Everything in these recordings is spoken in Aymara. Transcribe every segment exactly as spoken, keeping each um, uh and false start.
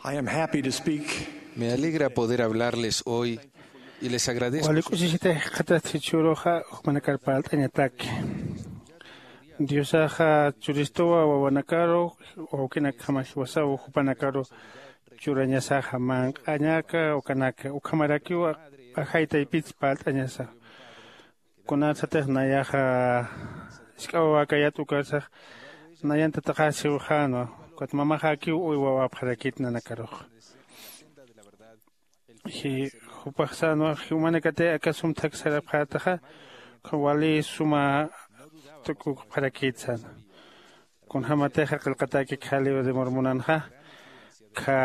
I am happy to speak. Me alegra poder hablarles hoy y les agradezco. Wali k'usisita jikxatat jichhüruxa, jumanakar parlt'añataki. Diosaxa churistuwa wawanakaru, wawkinakjama jiwasaw jupanakaru churañasaxa manq'añaka ukanaka, ukhamarakiwa ajay taypits parlt'añasa. Kunarsatix nayaxa jisk'a wawäkayät ukarsax, nayan tataxäsiwxänwa, ukat mamaxäkiw uy wawäpxarakït nanakarux. Jupax sänwa, jumanakatix aka sum thak sarapxätaxa, wali suma tukukpxarakït sänwa. Kunjämatixa qillqatäki kha libro de Mormonanxa, kha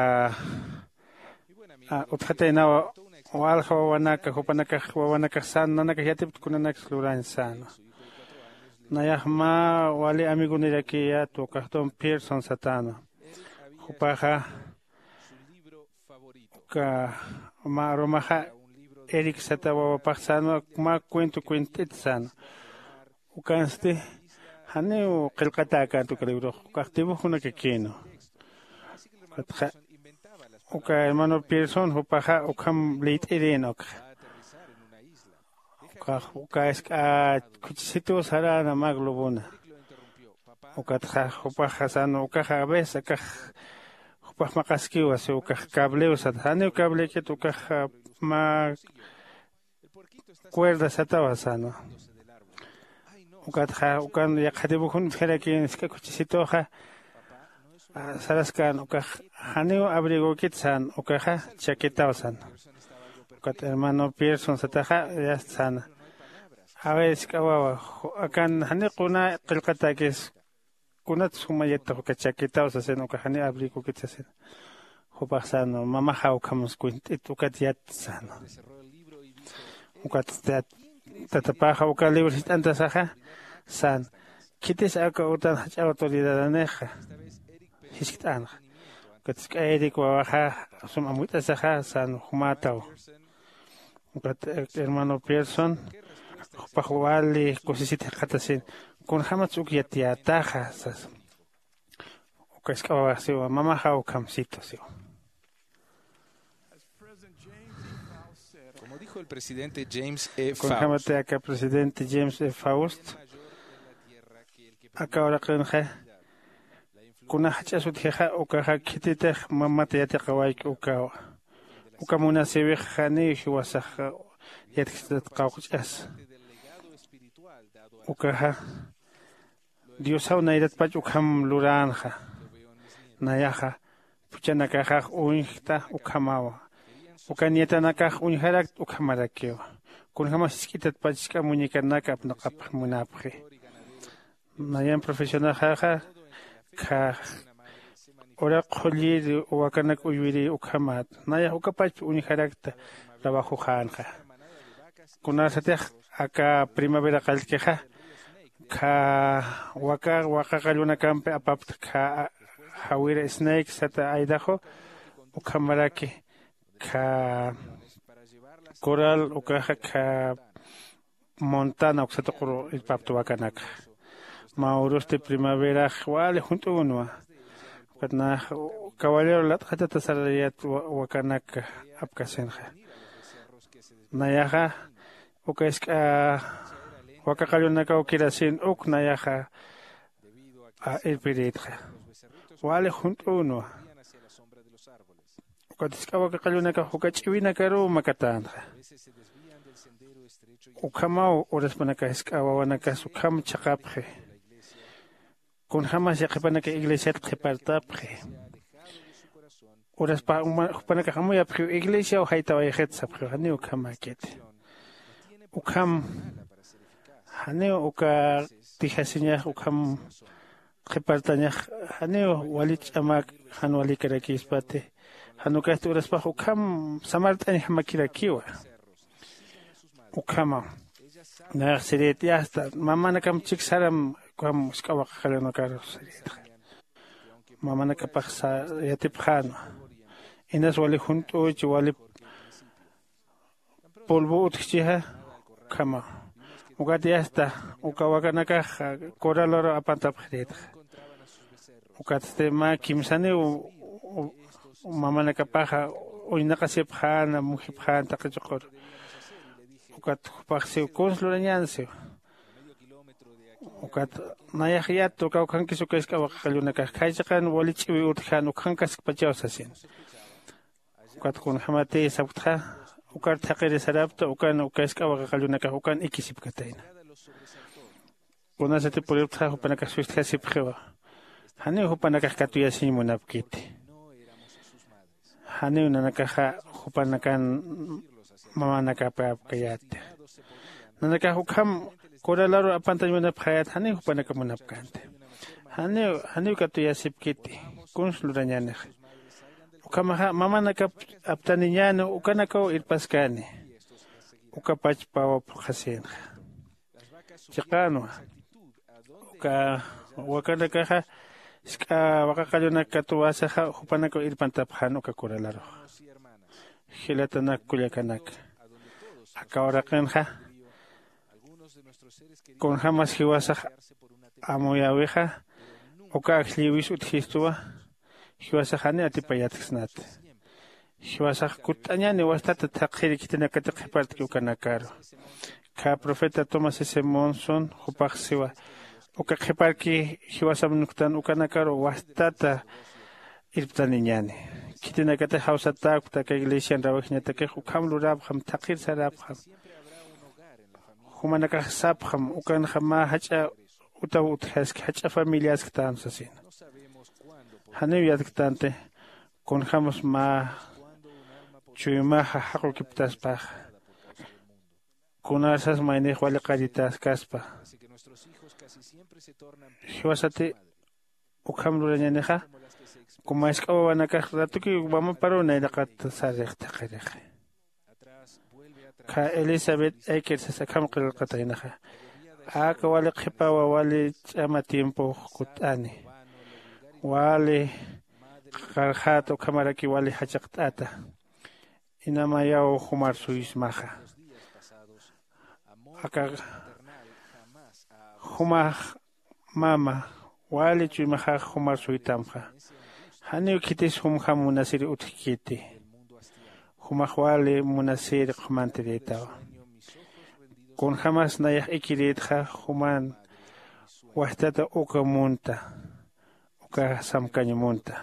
utjataynawa walja wawanaka, jupanakax wawanakax sän, nanakax yatipta kunanaksa lurañ sänwa. Nayax mä wali amigonirakiya, ukax Don Pearson satänwa. Jupaxa uka mä arumaxa Eric sata wawapax sänwa, mä cuento cuent'it sänwa. Ukansti janiw qillqatäkänti uka librox, ukax dibujonakakïnwa. Ukatxa uka hermano Pearson jupaxa ukham liyt'irïn ukxa. Ukax uka jisk'a khuchisituw saräna mä globona. Ukatxa jupaxa sänwa, ukaxa a veces akax jupax maqaskiwa, si ukax cablew sat, janiw cableikit, ukax mä cuerda satawa sänwa. Ukatxa ukan yaqha dibujon utjarakïn jisk'a khuchisituxa saraskän, ukax janiw abrigokit sän, ukaxa chaquetaw sän. Ukat hermano Pearson sataxa yast sän, a ver jisk'a wawa, akan janiw quna qillqatäkis, kunats juma yattax uka chaquetaw sasin, ukax janiw abrigokit sasin. Jupax sänwa, mamaxa ukham cuent'it ukat yat sänwa. Ukat tatapaxa uka libro jist'antasaxa sän, khitis aka utan jach'a autoridadanixa jiskt'änxa. Ukat jisk'a Eric wawaxa sum amuyt'asaxa sän, jumätaw. Ukat hermano Pearson jupax wali kusisit jikxatasin, kunjämatsa uk yatiyätaxa sasa. Uka jisk'a wawax siwa, mamaxa ukham situ siwa. Como dijo el presidente James E. Faust, kunjämati aka presidente James E. Faust aka uraqinxa, kuna jach'as utjixa ukaxa khititix mamat yatiqawayki ukawa. Uka munasïwix janiw jiwasax yatkstat qawqch'as. Ukaxa Diosaw nayratpach ukham luränxa. Nayaxa phuchhanakaxax uñjta ukhamawa. Uka nietanakax uñjarakta ukhamarakiwa. Kunjämas jisk'itatpach jisk'a muñecanaka apnaqapx munapxi. Nayan profesionaxaxa kha uraq qhullir wakanak uywiriy ukhamat. Nayax ukapachp uñjarakta trabajoxänxa. Kunarsatix aka primavera qallkixa kha waka, waka qallunakampi apapta kha jawira Snake sata Idaho, ukhamaraki kha coral ukaxa kha Montana uksa tuquru irpapta wakanaka. Mä urusti primaverax wali junt'ünwa. Ukat nax caballero lat'xatata sarariyät wa-, wakanaka apkasinxa. Nayaxa uka jisk'a waka qallunakaw kirasin uk nayaxa irpirïtxa. Wali junt'ünwa. Ukat jisk'a waka qallunakax uka ch'iwinakaruw makatänxa. Ukhamaw uraspanakax jisk'a wawanakas ukham chhaqapxi. Kunjämas yaqhipanakax iglesiat qhipartapxi. Uraspa uma-, jupanakax amuyapxiw iglesiaw jaytawayxit sapxiw, janiw ukhamäkiti. Ukham janiw uka tijasiñax ukham qhipartañax, janiw wali ch'amak jan walikarakispati, jan ukasti uraspax ukham samart'añjamakirakiwa. Ukhama nayax sirït, yasta mamanakam chik saram ukham jisk'a waka qallunakar sirïtxa. Mamanakapax sa-, yatipxänwa. Inas wali junt'üchi, wali polvo utjchixa, ukhama. Ukat yasta uka wakanakax corraloru apantapxirïtxa. Ukatsti mä kimsaniw mamanakapaxa uñnaqasipxäna mujipxäna taqi chuqur. Ukat jupax siw kuns lurañän siw. Ukat nayax yat uka ukhankis uka isk'a waqaqallunakax khaychiqan wali ch'iwi utjän ukhankaskpachaw sasin. Ukat kunjämatiy sapktxa ukar thaqhiri sarapta ukan uka isk'a waqaqallunakax ukan ikisipkatayna. Kunasati puriptxa jupanakax sustjasipxiwa. Janiw jupanakax katuyasiñ munapkiti. Janiw nanakaxa jupanakan mamanakapäpkayäti. Nanakax ukham coralaru apantañ munapxayät janiw jupanaka munapkänti. Janiw janiw katuyasipkiti. Kuns lurañänix. Ukhamaxa mamanakap aptaniñäni ukanakaw irpaskani. Ukapach pawa phuqhasïnxa. Chiqanwa uka wakanakaxa jisk'a waqaqallunak katuwäsaxa jupanakaw irpantapxän uka coralaruxa. Jilatanak kullakanak, aka uraqinxa kunjämas jiwasax amuyäwixa uka ajllïwis utjistuwa. Jiwasax jani atipayatksnati. Jiwasax kutt'añäni wastata thaqhiri khitinakatix qhipartki ukanakaru. Khä profeta tomás s monson jupax siwa uka qhiparki jiwasam nuktan ukanakaru wastata irptaniñäni. Khitinakatix jawsatäkpta aka iglesian rawajñatakix ukham lurapxam thaqhir sarapxam. Jumanakax sapxam ukanxa mä jach'a utaw utjaski jach'a familiasktam sasina. Janiw yatktanti kunjämas mä chuymaxa jaqukiptaspaxa. Kunarsas maynix wali qallitaskaspa. Jiwasati ukham lurañänixa. Kuma jisk'a wawanakax ratukiw mamaparuw nayraqat sarix thaqhirixi. Khä elizabeth eker sas akham qillqataynaxa. Aka wali qhipawa wali ch'ama tiempox kutt'ani. Wali qarxäta ukhamaraki wali jachaqt'ata. Inamayaw jumar suysmaxa. Aka jumax mama wali chuymaxax jumar suytamxa. Janiw khitis jumjam munasiri utjkiti. Jumax wali munasiri qhumantirïtawa. Kunjämas nayax ikirïtxa juman wastata uka munta uka samkañ munta.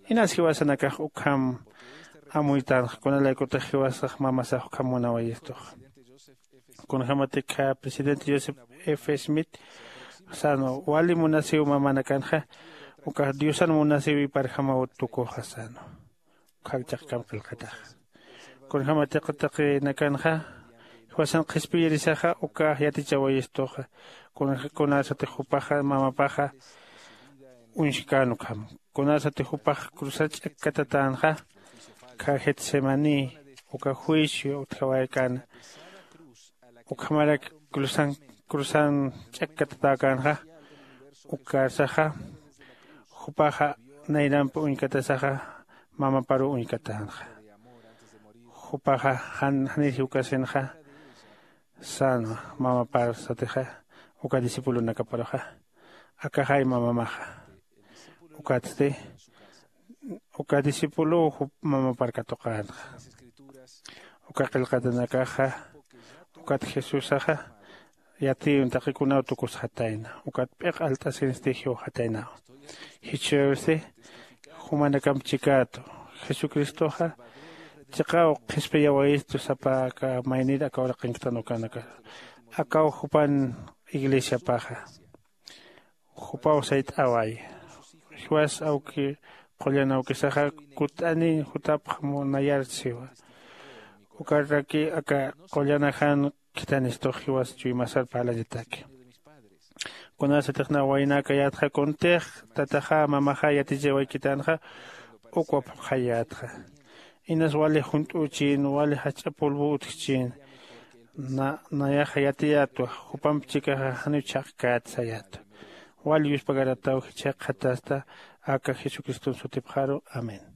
Inas jiwasanakax ukham amuytanxa kunalaykutix jiwasax mamasax ukham munawayistuxa. Kunjämatik presidente joseph f smith sänwa wali munasiw mamanakanxa ukax diosan munasiw iparjamaw tukuxa sänwa. Ukhak chaqkam qillqataxa kunjämatik taqinakanxa jiwasan qhispiyirisaxa ukax yatichawayistuxa. Kunasatix jupaxa mamapaxa uñskän ukham. Kunasatix jupax cruzar ch'akkatatänxa khä getsemaní uka juicio utjawaykän. Ukhamarak cruzan cruzan ch'akkatatäkänxa ukarsaxa jupaxa nayrampi uñkatasaxa mamaparuw uñkatänxa. Jupaxa jan janir jiwkasinxa sänwa mamapar satixa uka discipulonakaparuxa. Akaxay mamamaxa ukatsti uka discipuluw jup mamapar katuqänxa. Uka qillqatanakaxa ukat jesusaxa yatiyun taqikunaw tukusxatayna ukat p'iq alt'asinsti jiwxataynawa. Jichhürsti jumanakamp chikätu jesucristoxa chiqaw qhispiyawayistu sapa aka maynir aka uraqinktan ukanaka akaw jupan iglesiapaxa. Jupaw sayt'away jiwas awki qullan awkisaxa kutt'aniñ jutapxam nayar siwa. Ukaraki aka qullanajan khithanistux jiwas chuymasar parlañataki. Kunasatix na waynäkayätxa kuntix tataxa mamaxa yatichawaykitänxa ukwa phuqhayätxa. Inas wali junt'üchin wali jach'a polvo utjchin. Nayaxa yatiyätwa jupamp chikaxa janiw chhaqkät sayätwa. Wali yuspagarataw jichhaqxatasta aka jesucriston sutipxaru. Amén.